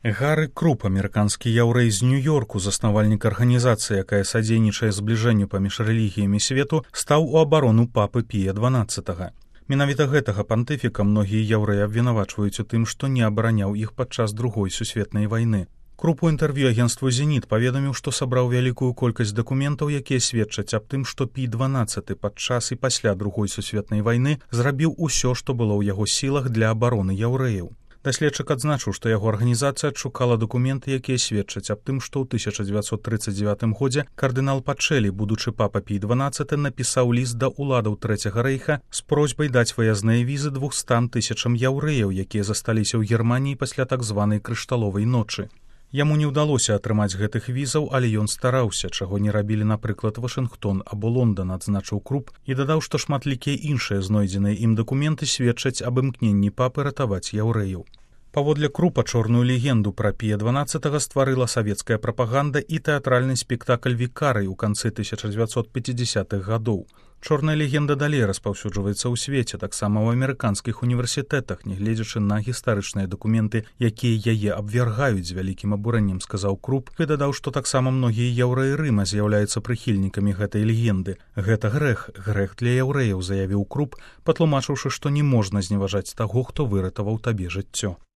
Гары Круп, амерыканскі яўрэй з Нью-Йорку, заснавальнік арганізацыі, якая садзейнічае збліжэнню паміж рэлігіямі свету, стаў у абарону папы Пія XII. Менавіта гэтага пантыфіка многія яўрэі абвінавачваюць у тым, што не абараняў іх падчас Другой сусветнай вайны. Круп у інтэрв'ю агенству «Зеніт» паведаміў, што сабраў вялікую колькасць дакументаў, якія сведчаць аб тым, што Пій XII падчас і пасля Другой сусветнай вайны зрабіў усё, што было ў яго сілах для абароны яўрэяў. Даследчык адзначыў, што яго арганізацыя адшукала дакументы, якія сведчаць аб тым, што ў 1939 годзе кардынал Пачэлі, будучы папа Пій XII, напісаў ліст да ўладаў Трэцяга рэйха з просьбай даць выязныя візы 200 000 яўрэяў, якія засталіся ў Германіі пасля так званай крышталовай ночы. Яму не ўдалося атрымаць гэтых візаў, але ён стараўся, чаго не рабілі, напрыклад, Вашынгтон або Лондан, адзначыў Круп, і дадаў, што шматлікія іншыя знойдзеныя ім дакументы сведчаць аб імкненні папы ратаваць яўрэяў. Паводле Крупа, чорную легенду пра Пія XII стварыла савецкая прапаганда і тэатральны спектакль «Вікарый» у канцы 1950-х гадоў. Чорная легенда далей распаўсюджваецца ў свеце, таксама ў амерыканскіх універсітэтах, нягледзячы на гістарычныя дакументы, якія яе абвяргаюць з вялікім абурэннем, сказаў Круп, і дадаў, што таксама многія яўрэі Рыма з'яўляюцца прыхільнікамі гэтай легенды. Гэта грэх для яўрэяў, заявіў Круп, патлумачыўшы, што не можна зневажаць таго, хто выратаваў табе жыццё.